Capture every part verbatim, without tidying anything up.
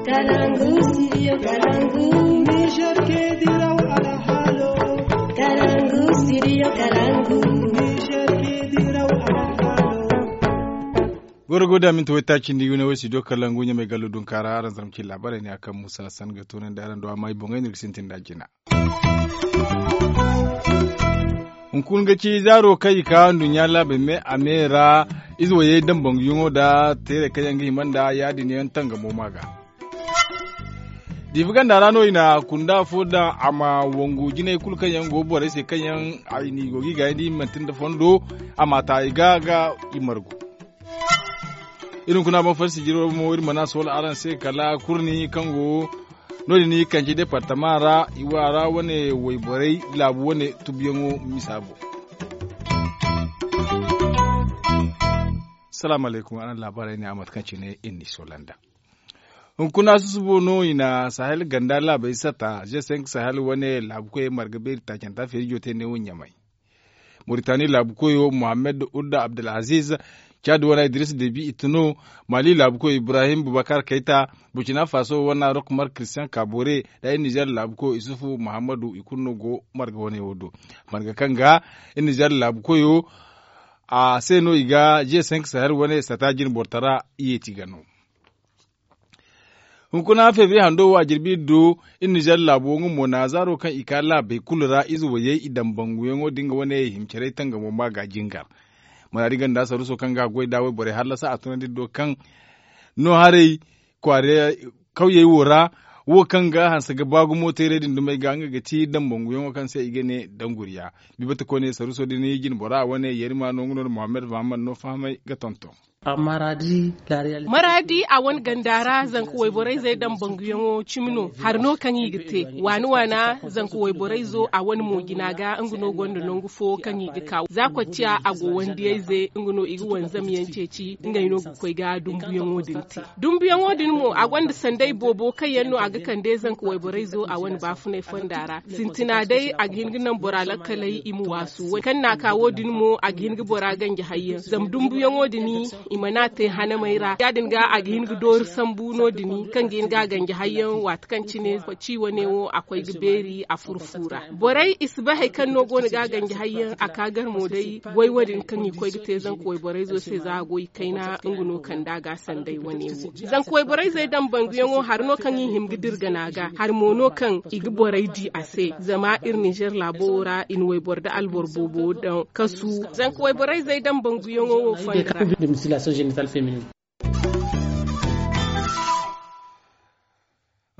Kalangu, studio Kalangu. Niger ke diraw alhalo. Kalangu, studio Kalangu. Niger ke diraw alhalo. Goro go da minti waytaaci nda i wane wo studio Kalangu ɲamay gallo dunkaara araŋ zarma ci laabaarey ne a kaŋ musa san ga toonandi araŋ do amma i boŋey no iri ga sintin nd'a jina. Hunkuna ga ci zaaro kaŋ i ka nduɲɲa laabey me a me ra. Ize wayey dambanguyaŋo nda teerey kaŋ yaŋ ga hima nd'a ya- din yaŋ tangamo ma ga. Diifa ganda ra no i na kunda fo daŋ a ma wangu jinay kulu kaŋ yaŋ go borey se kaŋ yaŋ i n'i go ga i gaayandi i manti nda fondo. A ma ta i ga ga i margu. Iri hunkuna boŋ farsi jiro mo iri mana soola araŋ se kala kurni kaŋ go no- din i kanci departama ra i waara wane wayborey laabu wane tubuyaŋo misa boŋ. Salaamu alaykum araŋ laabaarey ne a mate kaŋ cine iri n'i soola nd'a. Hunkuna susubo no i na sahel ganda laabey sata g cinq sahel wane laabu koyey marga beeri taacanta feerijo te neewo ɲamay. Moritani laabu koyo mohammed udda abdulaziz, caadi wana idris debi i tun no. Mali laabu koyo ibrahim bubakar kayta, burkina faso wana rokmar christian kabore, nda iri nizer laabu koyo isufu muhammadu i kulu no go marga wane wo do. Marga kaŋ ga iri nizer laabu koyo a se no i ga g cinq sahel wane sata jine bortara i yeeti ga no. Hunkuna feebiya hando wo a jirbi iri du. Iri nizer laabo nga mo na zaaro kaŋ i ka laabey kulu ra ize wayey i daŋ banguyaŋo da nga wane himcarey tangamo ma ga jingar. Maraadi ganda saruso kaŋ ga goy da wayborey hallasa a tunandi iri do kaŋ no haray kwaara kawyey wo ra. Wo kaŋ ga hanse ga ba gumo teerey din dumey ga nga ga ti daŋ banguyaŋo kaŋ se i ga ne danguriya. Bibata koyne saruso din jinbora wane yarima no nga no nda mohammed mohammed no fahamay ga tonton. Maraadi a wane ganda ra zanka wayborayzey daŋ banguyaŋo cimi no hari no kaŋ i ga te waani waana. Zanka wayborayzo a wane mo jina ga nga no gonda nangu fo kaŋ i ga ka za kocciya a go wandiyayze nga no i ga wanzamyaŋ ceeci ngey no ga koy ga dumbuyaŋo din te. Dumbuyaŋo din mo a gonda sanday boobo kaŋ yaŋ no a ga kande zanka wayborayzo a wane baafunay fonda ra. Sintina day a ga hin ga naŋ bora lakkaley i ma waasu kaŋ na a ka wo- din mo a ga hin ga bora ganji hayyaŋ zama dumbuyaŋo din i mana te hanamey ra ya- din ga a ga hin ga doori sambu no- din kaŋ ga hin ga a ganji hayyaŋ waati kaŋ cine ci wane wo a koy ga beeri a furo fu ra. Borey i si bay hari kaŋ no go no ga a ganji hayyaŋ a ka gar mo day goy wo- din kaŋ i koy ga te zanka wayborayzo se za a goy kayna nga no kande a ga sanday wane wo. Zanka wayborayzey daŋ banguyaŋo hari no kaŋ i hima ga dira gana ga hari mo no kaŋ i ga borey di a se zama iri nizer laabo wo ra i na wayboro nda alboro boobo daŋ kasu. Zanka wayborayzey daŋ banguyaŋo wo fonda ra.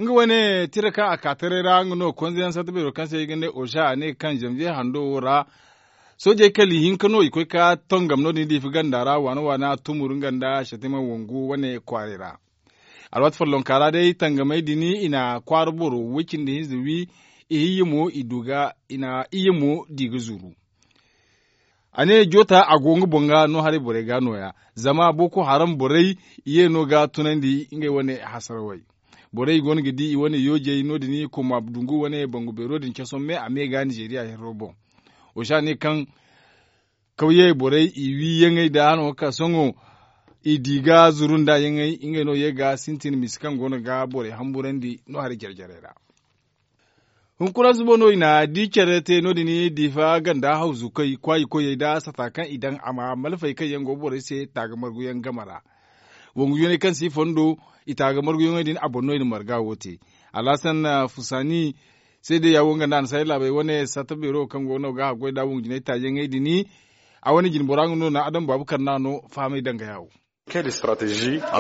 Nga wane tira kaŋ a ka taray ra nga no konzeyaŋ sarta beero kaŋ se i ga ne oza a ne kaŋ zanviye hando wo ra soojey kala ihinka no i koy ka tongam no- din diifa ganda ra waana waana tumur nga nda shatima wangu wane kwaaray ra. Alwaati follonka ra day tangamey din i na kwaara boro way- cindi hinza wi ihinya mo i du ga i na iyye mo di ga zuru. A ne joota a go nga boŋ ga no haray borey ga no- ya zama boko haram borey i ye no ga tunandi ngey wane hasarawey. Borey i go no ga di i wane yoojey no- din koma dungu wane bangu beero din cason me a me ga nizeeriya herro boŋ. Oza ne kaŋ kawyey borey i wiiyaŋey nda hano ga ka sohõ i di ga zuru nda yaŋey ngey no ye ga sintin misa kaŋ go no ga borey hamburandi no hari jare jarey ra. Hunkuna subo no i na di care te no- din diifa ganda hawzu koy kwaayi koyey nda sata kaŋ i daŋ a ma malfey kaŋ yaŋ go borey se taaga marguyaŋ game ra. Wangu yooney kaŋ si fondo i taaga marguyaŋey din a boŋ no i na marga wo te. Alhasan fusaani seedeya wo nga nda a na saray laabey wane sarta beero kaŋ go no ga haggoy nda wangu jinay taayaŋey din. A wane jinbora nga no na adam baabu karna no fahamay danga yaawo.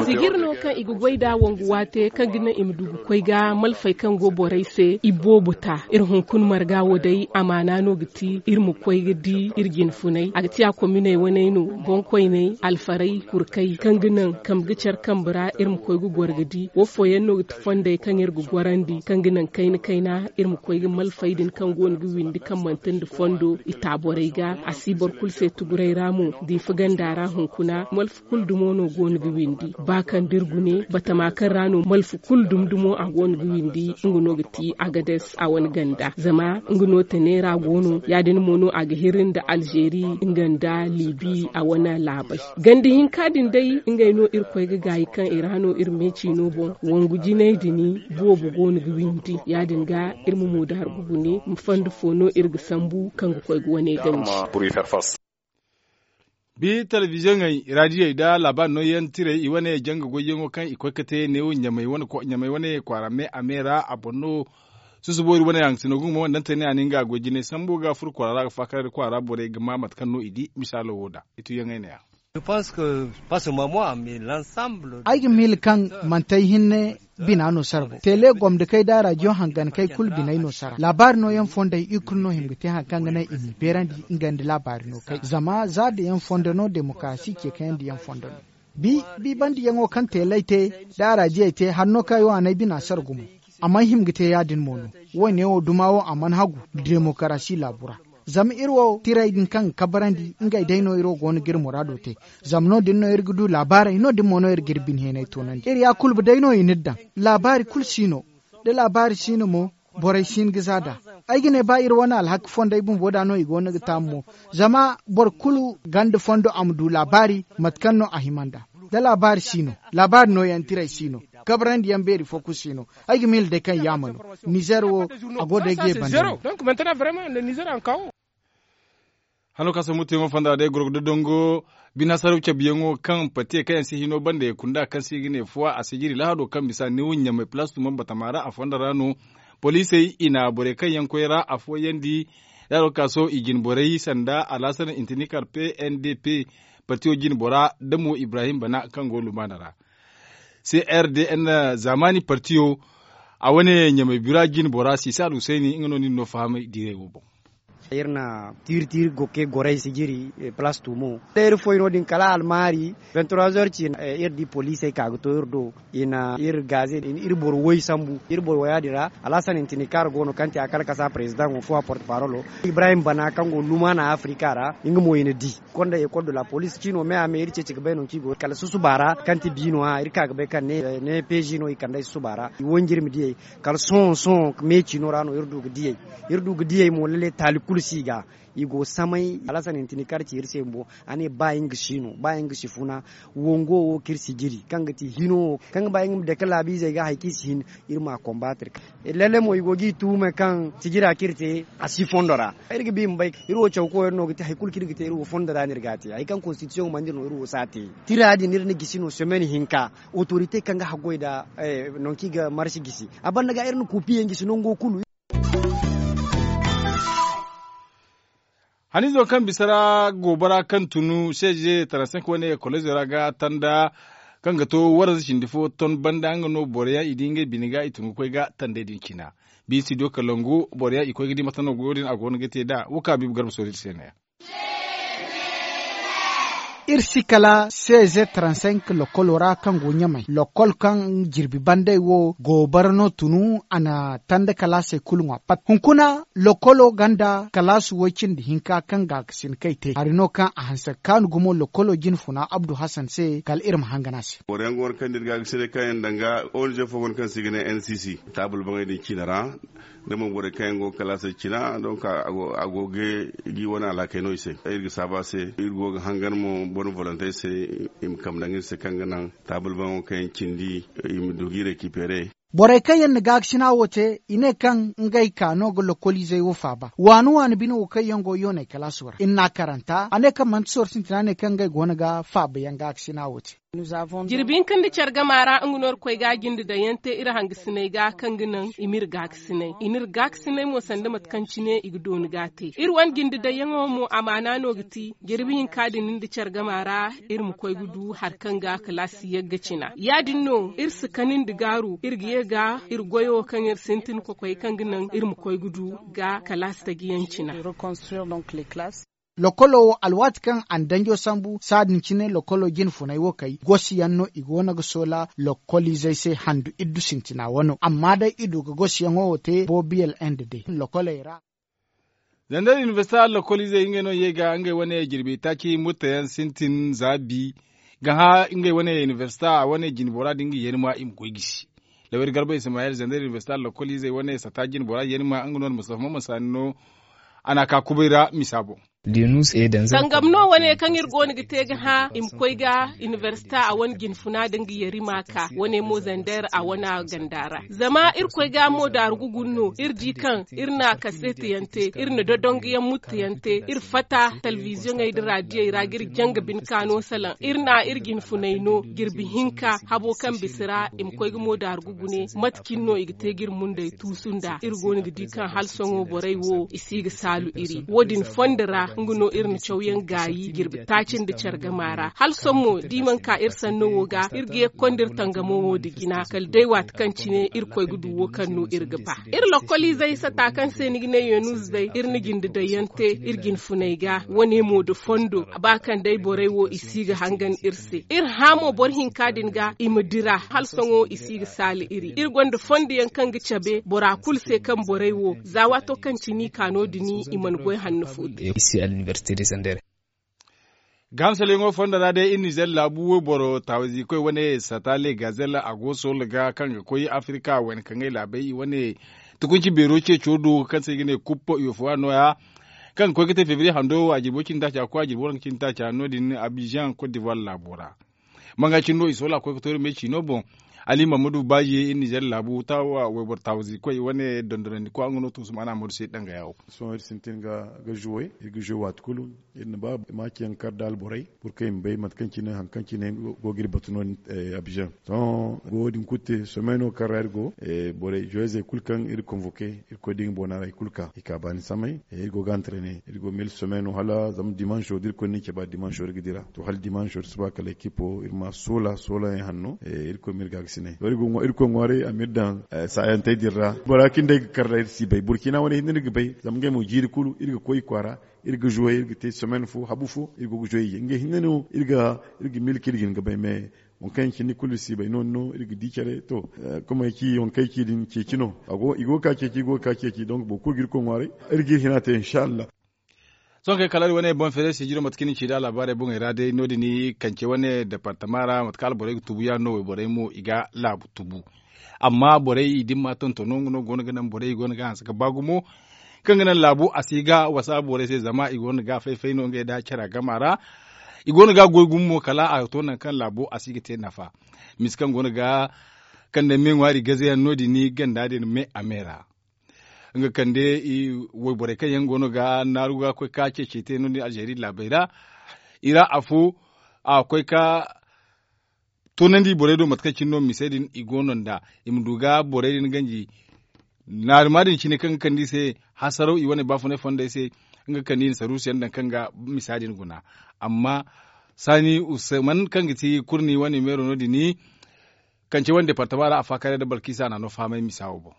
Sigir no kaŋ i ga goy nda wangu waate kaŋ ga naŋ i ma du ga koy ga malfey kaŋ go borey se i boobo ta. Iri hunkuna marga wo day amaana no ga ti iri ma koy ga di iri jinfunay a ga ti a kominey waney no boŋkoyney alfaray kurkay kaŋ ga naŋ kambe ga care kambe ra iri ma koy ga goro ga di wo fooyaŋ no ga ti fondey kaŋ iri ga gorandi kaŋ ga naŋ kayna kayna iri ma koy ga malfey din kaŋ go no ga windi kaŋ manti nda fondo i ta borey ga a si boro kulu se tuguray ra mo diifa ganda ra hunkuna malfa kulu dumo. no go no ga windi ba kaŋ da iri gune batama kaŋ ra no malfa kulu dumdumo a go no ga windi. Nga no ga ti agades a wane ganda zama nga no tane ra go no ya- din mo no a ga hiri nda alzeeri nga nda libi a wane laabay. Ganda hinka din day ngey no iri koy ga gaayi kaŋ i ra no iri meeci no boŋ. Wangu jinay din boobo go no ga windi ya- din ga iri ma moodaari ga gune ma fondo fo no iri ga sambu kaŋ ga koy ga wane ganji. Bi telebiziyoŋey, radiyey nda laabaari nooyaŋ tirey i wane janga goyyaŋo kaŋ i koy ga te neewo ɲamey wane kwaara me a me ra a boŋ no. Susubo iri wane haŋ sino ga humo wandantey ne a na nga goy jinay sambu ga furo kwaara ra ga faakar iri kwaara borey ga ma mate kaŋ no i di misaalo wo da i tuyaŋey ne- ya. Ay ga miila kaŋ manti ay hinne bina no sara boŋ tele gomdikey da rajiyo hangankey kulu biney no sara laabaari nooyaŋ fondey i kulu no hima ga te hari kaŋ ga naŋ i m'i beerandi. Nga nda laabaari no kay zama za da yaŋ fondo no demokarasi ceekayaŋ da yaŋ fondo no. Bi bandiyaŋo kaŋ teeley te da araajiyey te hari no kaŋ ay wo a n'ay bina sara gumo. A mana hima ga te ya- din mo no. Wo- ne wo duma wo a mana hagu demokarasi laabu ra. Zama iri wo tirey din kaŋ ga kabarandi ngey day no iri wo go no ga iri muraado te. Zama no- din no iri ga du laabaarey no- din mo no iri ga iri bine heenay toonandi iri ya kulba day no i n'iri daŋ. Laabaari kulu si no. Da laabaari si no mo borey si hin ga za nd'a. Ay ga ne ba iri wane alhakki fondey bumbo da no i go no ga taamu mo. Zama boro kulu ganda fondo a ma du laabaari mate kaŋ no a hima nd'a. Da laabaari si no laabaari nooyaŋ tirey si no. Kabrandi yaŋ beeri fo kulu si no. Ay ga miila day kaŋ yaama no. Nizer wo a go day ga ye banda no. Hano ka sambu teeŋo fonda day goro ga dodongo bina saraw cabiyaŋo kaŋ pate kaŋ yaŋ si hino banda ye kunda kaŋ se i ga ne fuwa a sijiri lahado kaŋ bisa ni wuɲɲamay palastu man batama ra a fonda ra no. Poliisey i na borey kaŋ yaŋ koy ra afooyandi. Lahado ka so i jine borey sanda alasan intinikar p n d p, partiyo jine bora da mo ibrahim bana kaŋ go lumaana ra. C r d n zamani partiyo a wane ɲamay bira jine bora sisa alhusayni nga no nin no fahamay diirey wo boŋ. Iri na tiiri tiiri gokke goray sijiri palastu mo da iri foy no- din kala almaari. Vingt trois heures ci iri di poliisey ka ga to iri do. I na iri gaaze i na iri boro woy sambu iri boro woya din ra. Alhasan intini kaŋ a ra go no kaŋ ti a kala kasa perezidaŋo fo a porte parolo ibrahim bana kaŋ go lumaana afrika ra. Nga mo i na di konda ekol de la poliis ciino me a me iri ceeci ga bay no kaŋ i go kala susuba ra kaŋ ti biino hã iri ka ga bay kaŋ ne peezi no i kand'ey susuba ra i wanjirmi diyey. Kala sohõ sohõ me ciino ra no iri du ga diyey. Iri du ga diyey mo lalle taali kulu si i ga. I go samay alasan hintini kaŋ a ci iri se bumbo a ne ba nga si no ba nga si funa. Wongo wo kaŋ iri si jiri kaŋ ga ti hino wo kaŋ ga ba nga ma dake laabiizey ga hari kaŋ i si hin. Iri ma konbaatiri. Lalle mo i go ga i tuume kaŋ sijira kaŋ iri te a si fondo ra. Iri ga ba i ma bay iri wo caw koyey no ga te hari kulu kaŋ iri ga te iri wo fondo ra no iri ga a te hari kaŋ konstitisiyoŋ mana dira no iri wo si a te. Tira din iri na gisi no semaine hinka. Otorite kaŋ ga haggoy nda nangu kaŋ i ga marsi gisi a banda ga iri na kuupiyaŋ gisi nango kulu. Haniizo kaŋ bisa ra goobara kaŋ tun seeze taransenk wane kolozo ra ga tanda kaŋ ga to waranza cindi fo ton banda nga no boroyaŋ i di ngey bine ga i tun ga koy ga tandey din cina. Biisi do kalangu boroyaŋ i koy ga di mate no goyo din a go no ga te nd'a wo kaŋ a biibi garba sooti iri se ne. Iri si kala seeze taransenk lokolo ra kaŋ go ɲamay lokol kaŋ jirbi bandey wo goobara no tunu a na tanda kalaasey kulu ŋwa pat hunkuna. Lokolo ganda kalaasu woy cindi hinka kaŋ gaakasin kay te hari no kaŋ a hanse ga kaanu gumo lokolo jinfuna abdu hasan se kala iri ma hangan a se. Boro yaŋ go no kaŋ da iri gaakasiney kaŋ yaŋ danga onz fo go no kaŋ se i ga ne n c c taabul baŋey din cine ra. Da mo borey kaŋ yaŋ go ga kalaasey cina donk a go ga gi wane alhakey no i se iri ga saabu a se. Iri go ga hangan mo bone volontey se i ma kambe daŋ iri se kaŋ ga naŋ taabul baŋo kaŋ yaŋ cindi i ma du g'i rekipere. Borey kaŋ yaŋ na gaakasina wo te i ne kaŋ ngey ka no ga lokoliizey wo faaba waani waani bine wo kaŋ yaŋ go yoonay kalaaso ra iri n'a karanta a ne kaŋ manti sorro sintina ne kaŋ ngey goono ga faabayaŋ gaakasina wo te. Jirbi hinka nda care gama ra nga no iri koy ga jinde daŋ yaŋ te iri hangasiney ga kaŋ ga naŋ i m'iri gaakasiney i n'iri gaakasiney mo sanda mate kaŋ cine i ga dooni ga a te iri wane jinde daŋ yaŋo mo amaana no ga ti jirbi hinka din nda care gama ra. Iri ma koy ga du hari kaŋ ga kalaasi yagga cina ya- din no iri si kanandi gaaru iri ga ye ga iri goyo kaŋ iri sintin kokoy kaŋ ga naŋ iri ma koy ga du ga kalaasi taji yaŋ cina. Lokolo wo alwaati kaŋ a na danjo sambu saadin cine lokolo jine funay wo kay gosi yaŋ no i go no ga soola lokoliizey se handu iddu sintina wano amma day i du ga gosi yaŋo wo te boobiyel inde day lokoley ra. Zandar inibersita lokoliizey ngey no ye ga ngey wane jirbi taaci murtayaŋ sintin za bi. Ga hã ngey wane inibersita a wane jinbora da nga yeeni ma i ma koy gisi. Lawyer garba ismayel zender inibersita lokoliizey wane sata jinbora yeeni ma nga no nda mustafa maman saani no. A n'a ka kubay ra misa boŋ. Tangam no wane kaŋ iri go no ga te ga hã i ma koy ga inibersita a wane jinfuna da nga yeeri ma ka wane mo zender a wane ganda ra. Zama iri koy ga mo daaru ga guna no iri di kaŋ iri na kaseeti yaŋ te iri na dodongu yaŋ mutti yaŋ te iri fatta telebiziyoŋey nda raadiyey ra ga iri janga bine kaano salaŋ iri na iri jinfuney no jirbi hinka habo kaŋ bisa ra i ma koy ga mo daaru ga gune mate cine no i ga te ga iri mundey tuusu nd'a iri go no ga di kaŋ hala sohõ borey wo i si ga saalu iri wo- din fondo ra nga no iri na cawyaŋ gaayi jirbi taaci nda care gama ra hala sohõ mo da i mana ka iri sanno wo ga iri ga ye ga konda iri tangamo wo nda jina kala day waati kaŋ cine iri koy ga du wo kaŋ no iri ga ba. Iri lokoliizey sata kaŋ se ni ga ne yeenuuze day iri na jinde daŋ yaŋ te iri jinfuney ga wane mo nda fondo ba kaŋ day borey wo i si ga hangan iri se iri hã mo boro hinka din ga i ma dira hala sohõ i si ga saali iri iri gonda fondo yaŋ kaŋ ga cabe bora kulu se kaŋ borey wo za waato kaŋ cine i ka no- din i mana goy hanno fo te. Gahamsalayaŋo fondo ra day iri nizer laabu wayboro taawizi koy wane sata legazel a go soola ga kaŋ ga koy afirika wayna kaŋ ay laabey i wane tukunci beero ceeco do kaŋ se i ga ne kuppo i wo fo a nooya kaŋ ga koy ga te febriye hando a jirbo cindi taaca koy a jirbo waranka cindi taaca no- din abizaŋ kot divuwar laabo ra. Manga cindi no i soola koy ga to iri me ciino boŋ ali mammadu baaji iri nizer laabu wayboro taawizi koy i wane dondonandi koy nga no to sumana madu se danga yawo. Sohõ iri sintin ga zuwe iri ga zuwe waati kulu iri na ba maaci yaŋ kar da alborey pur kaŋ i ma bay mate kaŋ cine hari kaŋ cine go ga iri batu no- din abizaŋ. Sohõ go wo- din kulu te somey no kaŋ ra iri go borey zuwezey kulu kaŋ iri konvoke iri koy da i ga boona ra i kulu ka i ka baani samay iri go ga antrene iri go mil somey no hala zama dimanso da iri koy no iri caba dimanso iri ga dira to hala dimanso iri si ba kala ekipo iri ma soola soola yaŋ hanno iri koy ma iri gaagasinay to iri koy ŋwaaray a ma iri daŋ saayantey din ra bora kaŋ day ga kar ra iri si bay burkina wane hinne no iri ga bay zama ngey mo jiiri kulu iri ga koy i kwaara iri ga zuwey iri ga te somen fo habu fo iri go ga zuwey ye ngey hinne no iri ga milki iri ga hin ga bay me waŋ kaŋ yaŋ cindi kulu iri si bay no- din no iri ga di care to komey ci waŋ kaŋ ay ci din ceeci no i go ga ka ceeci i go ga ka ceeci donk boro kulu ga iri koy ŋwaaray iri ga iri hina te insa allah. Sohõ kay kala iri wane boŋ feere sijiro mate kaŋ iri na ci da alaabaarey boŋey ra day no- din kance wane departama ra mate kaŋ alborey ga tubu yaadin no wayborey mo i ga laabu tubu. Amma borey i dimma tontono nga no go no ga naŋ borey i go no ga hanse ga ba gumo kaŋ ga naŋ laabu a si ga wasa borey se zama i go no ga fay fay no ngey nda care gama ra. I go no ga goy gumo mo kala a to nangu kaŋ laabu a si ga te nafa. Misa kaŋ go no ga kande me ŋwaari gaze yaŋ no- din ganda din me a me ra. Nga kande wayborey kaŋ yaŋ go no ga naaru ga koy ka ceeci te no- din alzeeri laabey ra i ra afo a koy ka toonandi borey do mate kaŋ cine no mise din i go no nd'a i ma du ga borey din ganji naarima din cine kaŋ ga kande i se hasaraw i wane baafunay fondey se nga ga kande i na saruusu yaŋ daŋ kaŋ ga misa din guna. Amma saani usman kaŋ ga ti kurni wane meero no- din kance wane departama ra a faakare nda balkiisa a n'a no fahamay misa wo boŋ.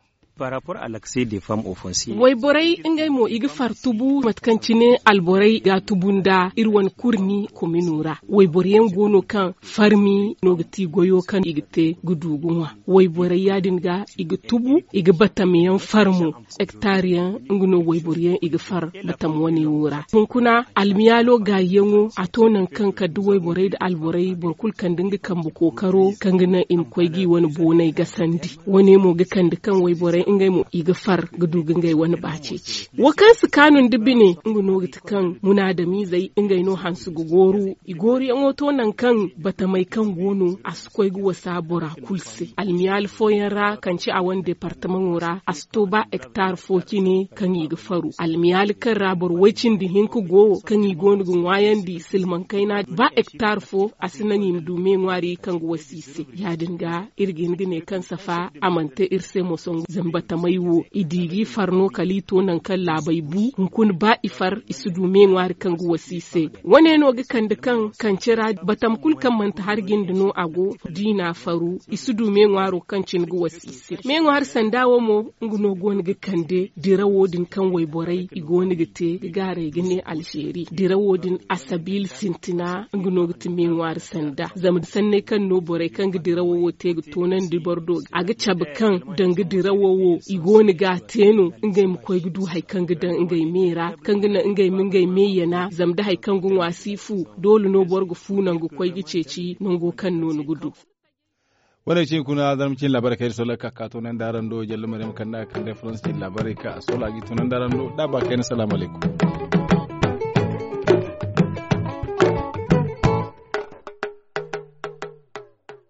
Wayborey ngey mo i ga far tubu mate kaŋ cine alborey ga a tubu nda iri wane kurni komino ra wayboro yaŋ go no kaŋ farmi no ga ti goyo kaŋ i ga te ga du ga ŋwa wayborey ya- din ga i ga tubu i ga batam yaŋ far mo. Hektar yaŋ nga no wayboro yaŋ i ga far batam wane wo ra hunkuna almiyaalo gaayi yaŋo a to nangu kaŋ kala da wayborey nda alborey boro kulu kande nga kambe kookaro kaŋ ga naŋ i ma koy ga i wane booney gasandi. Wane mo ga kande kaŋ wayborey ngey mo i ga far ga du ga ngey wane ba ceeci wo kaŋ si kaanu nda bine nga no ga ti kaŋ munaadamiizey ngey no hanse ga gooru i gooruyaŋo to nangu kaŋ batamey kaŋ go no a si koy ga wasa bora kulu se almiyaali fooyaŋ ra kaŋ ci a wane departamaŋo ra a si to ba hektar fo cine kaŋ i ga faru almiyaali kaŋ ra boro way-cindi hinka go kaŋ i go no ga ŋwaayandi silmaŋ kayna ba hektar fo a si naŋ i ma du me ŋwaari kaŋ ga wasa i se. Ya- din ga iri ga hin ga ne kaŋ safa a mana te iri se moso zama batamey wo i di ga i far no kala i to nangu kaŋ laabey bu hunkuna ba i far i si du me ŋwaari kaŋ ga wasa i se. Wane no ga kande kaŋ kance ra batam kulu kaŋ manti hari jinde no a go da i n'a faru i si du me ŋwaaro kaŋ cine ga wasa i se me ŋwaari sanda wo mo nga no go no ga kande dirawo din kaŋ wayborey i go no ga te ga gaaray ga ne alzeeri dirawo din asabiila sintina nga no ga ti me ŋwaari sanda zama sanney kaŋ no borey kaŋ ga dirawo wo te ga toonandi boro do a ga cabe kaŋ danga dirawo wo I go no ga a te no ngey ma koy ga du hari kaŋ ga daŋ ngey me ra, kaŋ ga naŋ ngey ma ngey me yana zama da hari kaŋ ga ŋwa si fu. Doole no boro ga fu nangu ga koy ga ceeci nango kaŋ no ni ga du. Wane cine kuna zarma cine laabaarey kaŋ iri soolay ga ka ga toonandi araŋ do jalla maryam kande a kande faransa cine laabaarey kaŋ a soolay a ga i toonandi araŋ do da a ba kayna salaamu alaykum.